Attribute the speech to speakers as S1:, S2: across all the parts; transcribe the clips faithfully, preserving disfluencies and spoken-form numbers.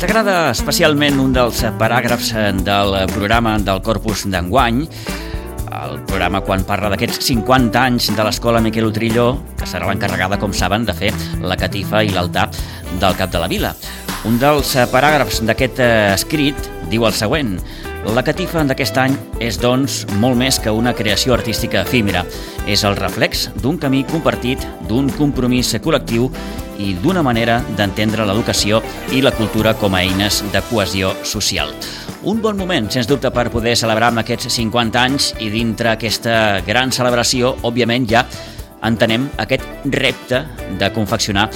S1: agrada especialment un dels paràgrafs del programa del Corpus d'enguany, el programa quan parla d'aquests cinquanta anys de l'Escola Miquel Utrillo, que serà l'encarregada, com saben, de fer la catifa i l'altar del Cap de la Vila. Un dels paràgrafs d'aquest escrit diu el següent: la catifa d'aquest any és, doncs, molt més que una creació artística efímera. És el reflex d'un camí compartit, d'un compromís col·lectiu i d'una manera d'entendre l'educació i la cultura com a eines de cohesió social. Un bon moment, sens dubte, per poder celebrar amb aquests cinquanta anys, i dintre aquesta gran celebració, òbviament, ja entenem aquest repte de confeccionar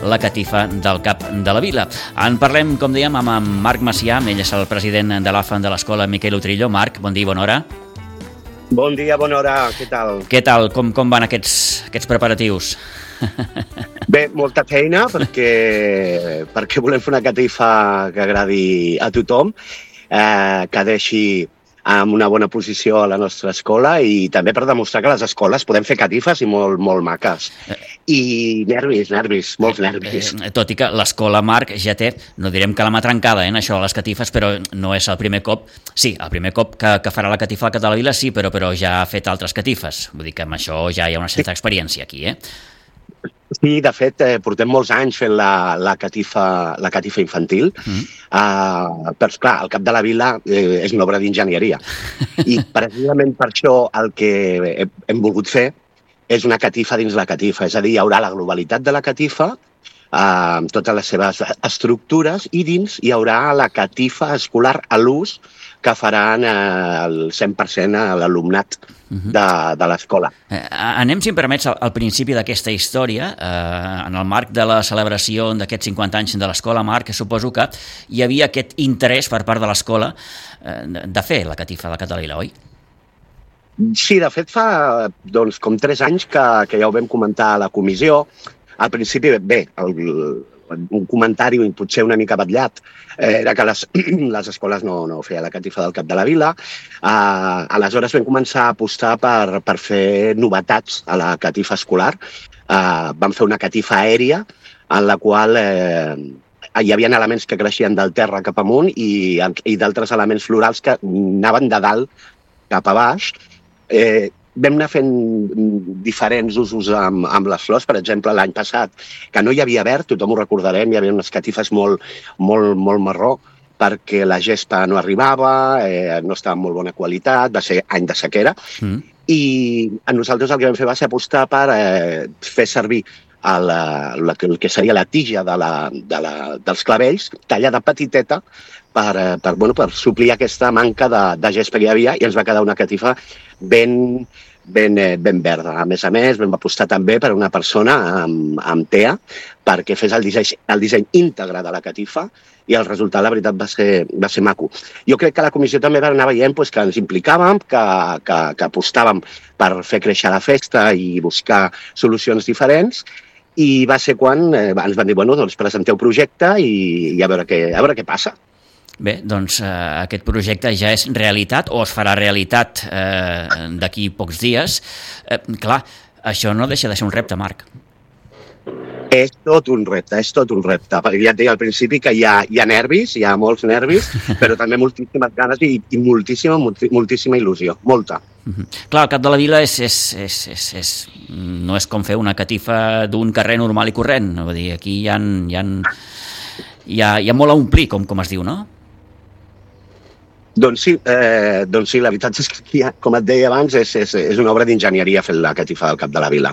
S1: la catifa del Cap de la Vila. En parlem, com dèiem, amb en Marc Macià, ell és el president de l'A F A de l'Escola Miquel Utrillo. Marc, bon dia i bona hora.
S2: Bon dia, bona hora, què tal?
S1: Què tal? Com, com van aquests, aquests preparatius?
S2: Bé, molta feina, perquè, perquè volem fer una catifa que agradi a tothom, eh, que deixi amb una bona posició a la nostra escola i també per demostrar que a les escoles podem fer catifes i molt, molt maques. I nervis, nervis, molts nervis.
S1: Eh, tot i que l'escola, Marc, ja té, no direm que la mà trencada eh, en això de les catifes, però no és el primer cop. Sí, el primer cop que, que farà la catifa al Cap de la Vila, sí, però, però ja ha fet altres catifes. Vull dir que amb això ja hi ha una certa experiència aquí, eh?
S2: Sí, de fet, eh, portem molts anys fent la, la, catifa, la catifa infantil, mm. uh, però, esclar, el Cap de la Vila eh, és una obra d'enginyeria. I precisament per això el que hem, hem volgut fer és una catifa dins la catifa, és a dir, hi haurà la globalitat de la catifa, uh, amb totes les seves estructures, i dins hi haurà la catifa escolar a l'ús que faran eh, el cent per cent a l'alumnat de, de l'escola.
S1: Eh, anem, si em permets, al, al principi d'aquesta història. Eh, en el marc de la celebració d'aquests cinquanta anys de l'escola, Marc, suposo que hi havia aquest interès per part de l'escola eh, de fer la catifa del Cap de la Vila, oi?
S2: Sí, de fet fa doncs, com tres anys que, que ja ho vam comentar a la comissió. Al principi, bé, el, un comentari potser una mica batllat eh, era que les, les escoles no, no feien la catifa del Cap de la Vila. Uh, aleshores vam començar a apostar per, per fer novetats a la catifa escolar. Uh, vam fer una catifa aèria en la qual eh, hi havia elements que creixien del terra cap amunt i, i d'altres elements florals que anaven de dalt cap a baix. Eh, Vam anar fent diferents usos amb, amb les flors. Per exemple, l'any passat, que no hi havia verd, tothom ho recordarem, hi havia unes catifes molt, molt, molt marró, perquè la gespa no arribava, eh, no estava en molt bona qualitat, va ser any de sequera, mm. i a nosaltres el que vam fer va ser apostar per eh, fer servir el, el, el que seria la tija de la, de la, dels clavells, tallada petiteta, per, per, bueno, per suplir aquesta manca de, de gespa que hi havia, i ens va quedar una catifa ben, ben, ben verda. A més a més, vam apostar també per una persona amb, amb T E A perquè fes el disseny, el disseny íntegre de la catifa, i el resultat, la veritat, va ser, va ser maco. Jo crec que la comissió també va anar veient pues, que ens implicàvem, que, que, que apostàvem per fer créixer la festa i buscar solucions diferents, i va ser quan eh, ens van dir, bueno, doncs presenteu projecte i, i a, veure què, a veure què passa.
S1: Bé, doncs eh, aquest projecte ja és realitat, o es farà realitat eh, d'aquí pocs dies. Eh, clar, això no deixa de ser un repte, Marc.
S2: És tot un repte, és tot un repte. Perquè ja et deia al principi que hi ha, hi ha nervis, hi ha molts nervis, però també moltíssimes ganes i, i moltíssima, moltíssima il·lusió, molta.
S1: Uh-huh. Clar, el Cap de la Vila és, és, és, és, és, no és com fer una catifa d'un carrer normal i corrent. Vull dir, aquí hi ha, hi ha, hi ha, hi ha molt a omplir, com, com es diu, no?
S2: Doncs sí, eh, doncs sí, la veritat és que, com et deia abans, és, és, és una obra d'enginyeria fer la catifa del Cap de la Vila.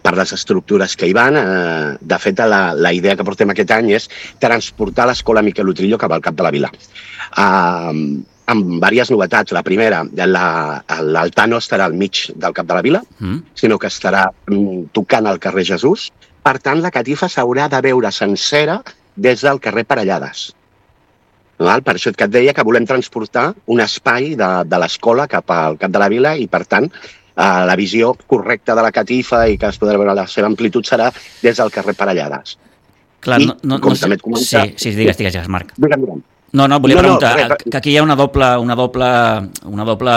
S2: Per les estructures que hi van, eh, de fet, la, la idea que portem aquest any és transportar l'Escola Miquel Utrillo cap al Cap de la Vila. Eh, amb diverses novetats. La primera, l'altar no estarà al mig del Cap de la Vila, mm. sinó que estarà tocant al carrer Jesús. Per tant, la catifa s'haurà de veure sencera des del carrer Parellades. Val? Per això que et deia que volem transportar un espai de, de l'escola cap al Cap de la Vila i, per tant, eh, la visió correcta de la catifa i que es podrà veure la seva amplitud serà des del carrer Parellades.
S1: Clar,
S2: I,
S1: no, no,
S2: com
S1: no
S2: també et comenta...
S1: Sí, sí, digues, digues, digues, Marc.
S2: Digue'm, digue'm.
S1: No, no, volia
S2: no,
S1: preguntar,
S2: no, res,
S1: que aquí hi ha una doble, una doble, una doble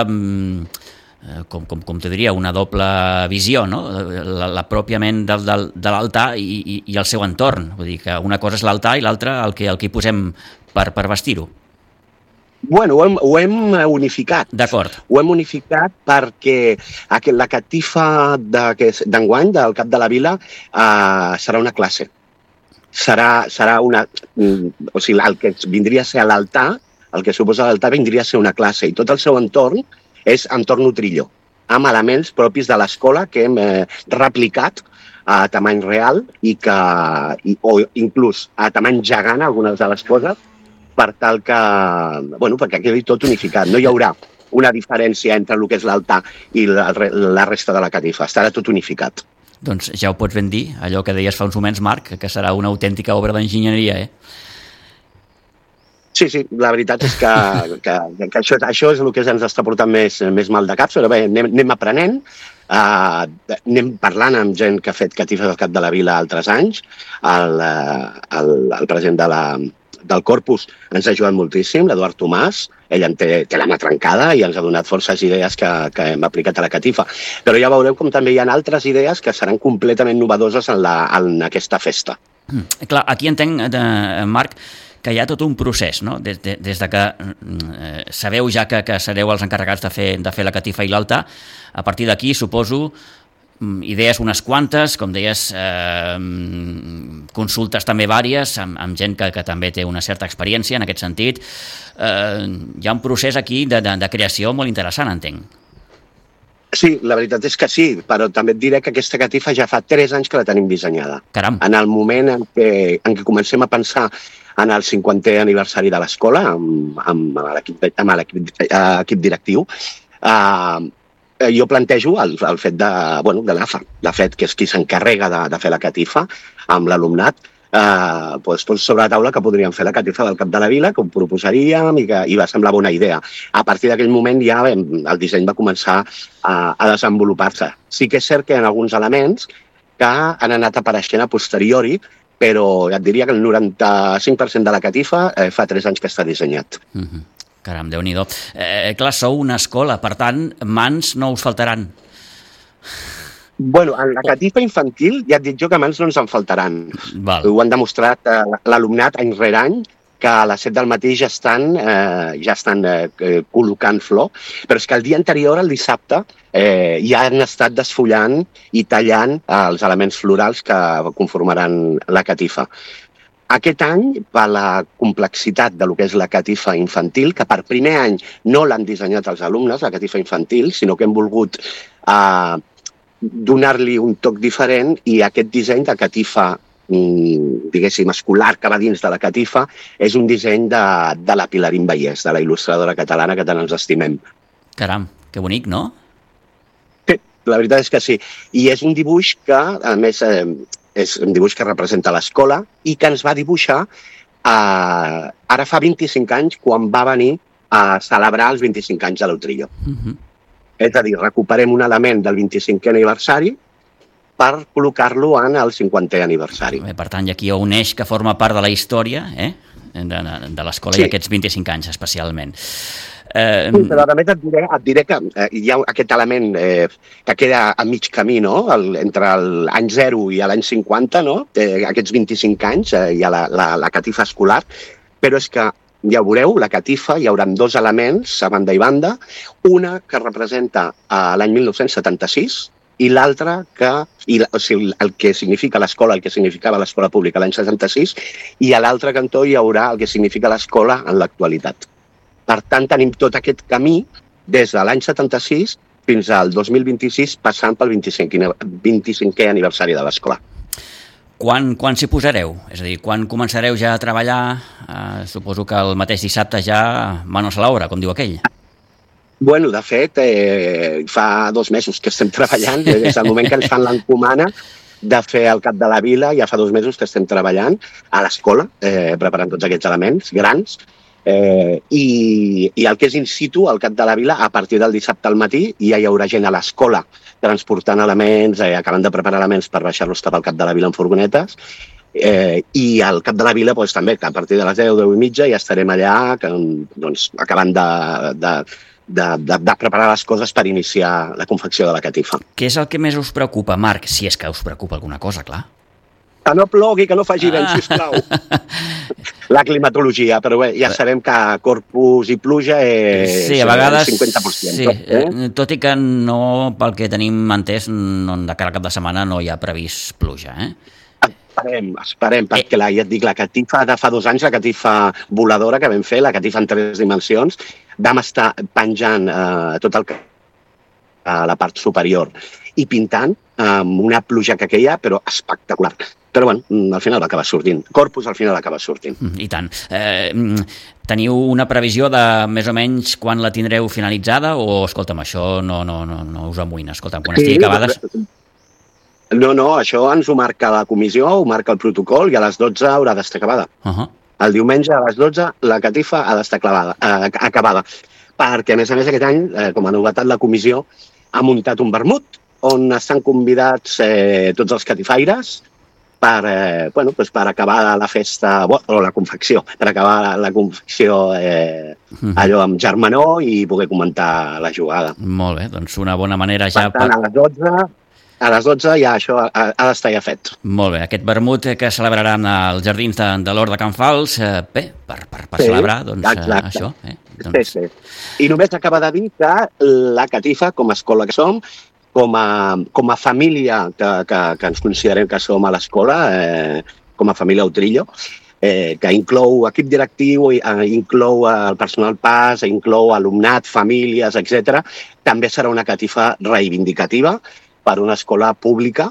S1: com, com, com te diria, una doble visió, no? La, la pròpiament del, del, de l'altar i, i, i el seu entorn. Vull dir que una cosa és l'altar i l'altra el que, el que hi posem per, per vestir-ho.
S2: Bueno, ho hem, ho hem unificat.
S1: D'acord.
S2: Ho hem unificat perquè la catifa d'enguany, del Cap de la Vila, eh, serà una classe. Serà, serà una... O sigui, el que vindria a ser l'altar, el que suposa l'altar vindria a ser una classe, i tot el seu entorn és entorn Utrillo, amb elements propis de l'escola que hem eh, replicat a tamany real i que, i, o inclús a tamany gegant, algunes de les coses, per tal que, bueno, perquè quedi tot unificat. No hi haurà una diferència entre el que és l'altar i la, la resta de la catifa. Estarà tot unificat.
S1: Doncs ja ho pots ben dir, allò que deies fa uns moments, Marc, que serà una autèntica obra d'enginyeria, eh?
S2: Sí, sí, la veritat és que, que, que això, això és el que ens està portant més, més mal de cap, però bé, anem, anem aprenent, uh, anem parlant amb gent que ha fet catifes al Cap de la Vila altres anys, el, el, el president de la, del Corpus ens ha ajudat moltíssim, l'Eduard Tomàs, ell en té, té la mà trencada i ens ha donat forces idees que, que hem aplicat a la catifa. Però ja veureu com també hi ha altres idees que seran completament novedoses en, la, en aquesta festa.
S1: Mm, clar, aquí entenc, eh, Marc, que hi ha tot un procés, no? Des, de, des de que eh, sabeu ja que, que sereu els encarregats de fer, de fer la catifa i l'altar, a partir d'aquí suposo idees unes quantes, com deies, eh, consultes també vàries, amb, amb gent que, que també té una certa experiència en aquest sentit. Eh, hi ha un procés aquí de, de, de creació molt interessant, entenc.
S2: Sí, la veritat és que sí, però també et diré que aquesta catifa ja fa tres anys que la tenim dissenyada.
S1: Caram.
S2: En el moment en què, en què comencem a pensar en el cinquantè aniversari de l'escola, amb, amb l'equip directiu, eh, jo plantejo el, el fet de, bueno, de l'A F A, la F E D, que és qui s'encarrega de, de fer la catifa amb l'alumnat, eh, doncs, doncs sobre la taula que podríem fer la catifa del Cap de la Vila, que ho proposaríem i, que, i va semblar bona idea. A partir d'aquell moment ja vam, el disseny va començar a, a desenvolupar-se. Sí que és cert que hi ha alguns elements que han anat apareixent a posteriori, però ja et diria que el noranta-cinc per cent de la catifa eh, fa tres anys que està dissenyat.
S1: Mm-hmm. Caram, Déu-n'hi-do. Eh, clar, sou una escola, per tant, mans no us faltaran.
S2: Bueno, en la catifa infantil ja et dic jo que mans no ens en faltaran.
S1: Val.
S2: Ho han demostrat eh, l'alumnat any rere any, que a les set del matí ja estan, eh, ja estan eh, col·locant flor, però és que el dia anterior, el dissabte, eh, ja han estat desfullant i tallant eh, els elements florals que conformaran la catifa. Aquest any, per la complexitat de lo que és la catifa infantil, que per primer any no l'han dissenyat els alumnes, la catifa infantil, sinó que hem volgut eh, donar-li un toc diferent i aquest disseny de catifa, diguéssim, escolar que va dins de la catifa, és un disseny de, de la Pilarín Vallès, de la il·lustradora catalana que tant ens estimem.
S1: Caram, que bonic, no?
S2: Sí, la veritat és que sí. I és un dibuix que, a més... Eh, és un dibuix que representa l'escola i que ens va dibuixar eh, ara fa vint-i-cinc anys quan va venir a celebrar els vint-i-cinc anys de l'Utrillo. Uh-huh. És a dir, recuperem un element del vint-i-cinquè aniversari per col·locar-lo en el cinquantè aniversari.
S1: Per tant, hi ha aquí un eix que forma part de la història eh? de, de l'escola sí. I aquests vint-i-cinc anys especialment.
S2: Eh... Sí, però també et diré, et diré que eh, hi ha aquest element eh, que queda a mig camí, no? El, entre l'any zero i l'any cinquanta, no? Eh, aquests vint-i-cinc anys eh, hi ha la, la, la catifa escolar, però és que ja ho veureu, la catifa hi haurà dos elements a banda i banda, una que representa eh, l'any mil nou-cents setanta-sis i l'altra que, i, o sigui, el que significa l'escola, el que significava l'escola pública l'any setanta-sis, i a l'altre cantó hi haurà el que significa l'escola en l'actualitat. Per tant, tenim tot aquest camí des de l'any setanta-sis fins al dos mil vint-i-sis, passant pel vint-i-cinquè aniversari de l'escola.
S1: Quan, quan s'hi posareu? És a dir, quan començareu ja a treballar? Eh, suposo que el mateix dissabte ja manos a l'obra, com diu aquell.
S2: Bueno, de fet, eh, fa dos mesos que estem treballant, des del moment que ens fan l'encomana de fer el Cap de la Vila, ja fa dos mesos que estem treballant a l'escola, eh, preparant tots aquests elements grans, Eh, i, i el que és in situ, al Cap de la Vila, a partir del dissabte al matí ja hi haurà gent a l'escola transportant elements, eh, acabant de preparar elements per baixar-los cap al Cap de la Vila en furgonetes, eh, i al Cap de la Vila doncs, també, que a partir de les deu, deu i mitja ja estarem allà que, doncs, acabant de, de, de, de, de preparar les coses per iniciar la confecció de la catifa.
S1: Què és el que més us preocupa, Marc? Si és que us preocupa alguna cosa, clar.
S2: Que no plogui, que no faci vent,
S1: Ah.
S2: sisplau. La climatologia, però bé, ja sabem que Corpus i pluja és
S1: Sí, a vegades,
S2: el cinquanta per cent.
S1: sí,
S2: Eh?
S1: tot i que no, pel que tenim entès, no, de cara al cap de setmana no hi ha previst pluja, eh?
S2: Esperem, esperem, perquè la, ja et dic, la catifa de fa dos anys, la catifa voladora que vam fer, la catifa en tres dimensions, vam estar penjant eh, tot el que a la part superior i pintant amb una pluja que queia, però espectacular. Però bueno, al final va acabar sortint. Corpus al final acaba sortint.
S1: I tant. Eh, teniu una previsió de més o menys quan la tindreu finalitzada o, escolta'm, això no, no, no, no us amoïna? Escolta'm, quan estigui acabada...
S2: No, no, això ens ho marca la comissió, ho marca el protocol i a les dotze haurà d'estar acabada.
S1: Uh -huh.
S2: El diumenge a les dotze la catifa ha d'estar clavada, eh, acabada. Perquè, a més a més, aquest any, eh, com a novetat, la comissió ha muntat un vermut on estan convidats eh, tots els catifaires per, eh, bueno, doncs per acabar la festa, o la confecció, per acabar la, la confecció eh, allò amb germanor i poder comentar la jugada.
S1: Molt bé, doncs una bona manera ja...
S2: Per tant, a les dotze... A les dotze ja això ha, ha d'estar ja fet.
S1: Molt bé, aquest vermut que celebraran als jardins de, de l'Hort de Can Fals, eh, bé, per, per, per
S2: sí,
S1: celebrar doncs,
S2: exacte.
S1: això. Eh? Doncs...
S2: Sí, sí. I només acaba de dir que la catifa, com a escola que som, com a, com a família que, que, que ens considerem que som a l'escola, eh, com a família Utrillo, eh, que inclou equip directiu, eh, inclou el personal pas, inclou alumnat, famílies, etcètera, també serà una catifa reivindicativa per una escola pública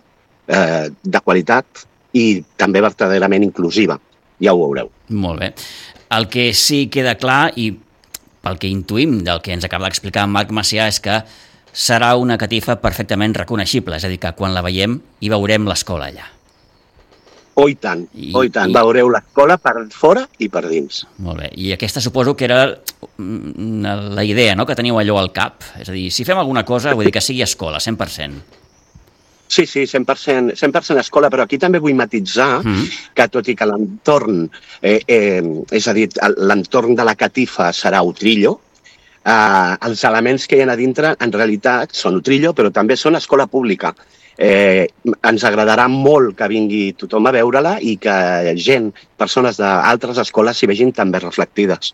S2: eh, de qualitat i també verdaderament inclusiva. Ja ho veureu.
S1: Molt bé. El que sí queda clar, i pel que intuïm del que ens acaba d'explicar en Marc Macià, és que serà una catifa perfectament reconeixible, és a dir, que quan la veiem hi veurem l'escola allà.
S2: Oh, i tant,
S1: I,
S2: oh, i tant.
S1: I...
S2: Veureu l'escola per fora i per dins.
S1: Molt bé. I aquesta suposo que era la idea, no?, que teniu allò al cap. És a dir, si fem alguna cosa, vull dir que sigui escola, cent per cent.
S2: Sí, sí, cent per cent, cent per cent escola, però aquí també vull matitzar mm. que tot i que l'entorn, eh, eh, és a dir, l'entorn de la catifa serà Utrillo, eh, els elements que hi ha a dintre en realitat són Utrillo, però també són escola pública. Eh, ens agradarà molt que vingui tothom a veure-la i que gent, persones d'altres escoles s'hi vegin també reflectides.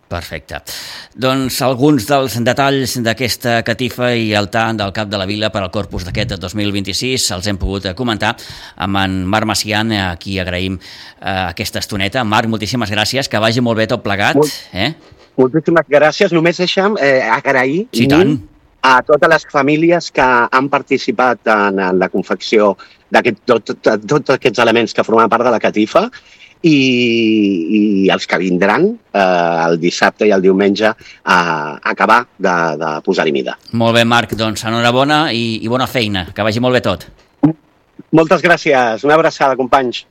S1: Perfecte. Doncs alguns dels detalls d'aquesta catifa i altar del cap de la vila per al Corpus d'aquest dos mil vint-i-sis els hem pogut comentar amb en Marc Macià, a qui agraïm eh, aquesta estoneta. Marc, moltíssimes gràcies, que vagi molt bé tot plegat.
S2: Molt,
S1: eh?
S2: Moltíssimes gràcies. Només deixa'm eh, agrair
S1: sí, tant.
S2: a totes les famílies que han participat en, en la confecció d'aquests tot, tot, tot aquests elements que formen part de la catifa i, i els que vindran eh, el dissabte i el diumenge a acabar de, de posar-hi mida.
S1: Molt bé, Marc, doncs enhorabona i, i bona feina, que vagi molt bé tot.
S2: Moltes gràcies, una abraçada, companys.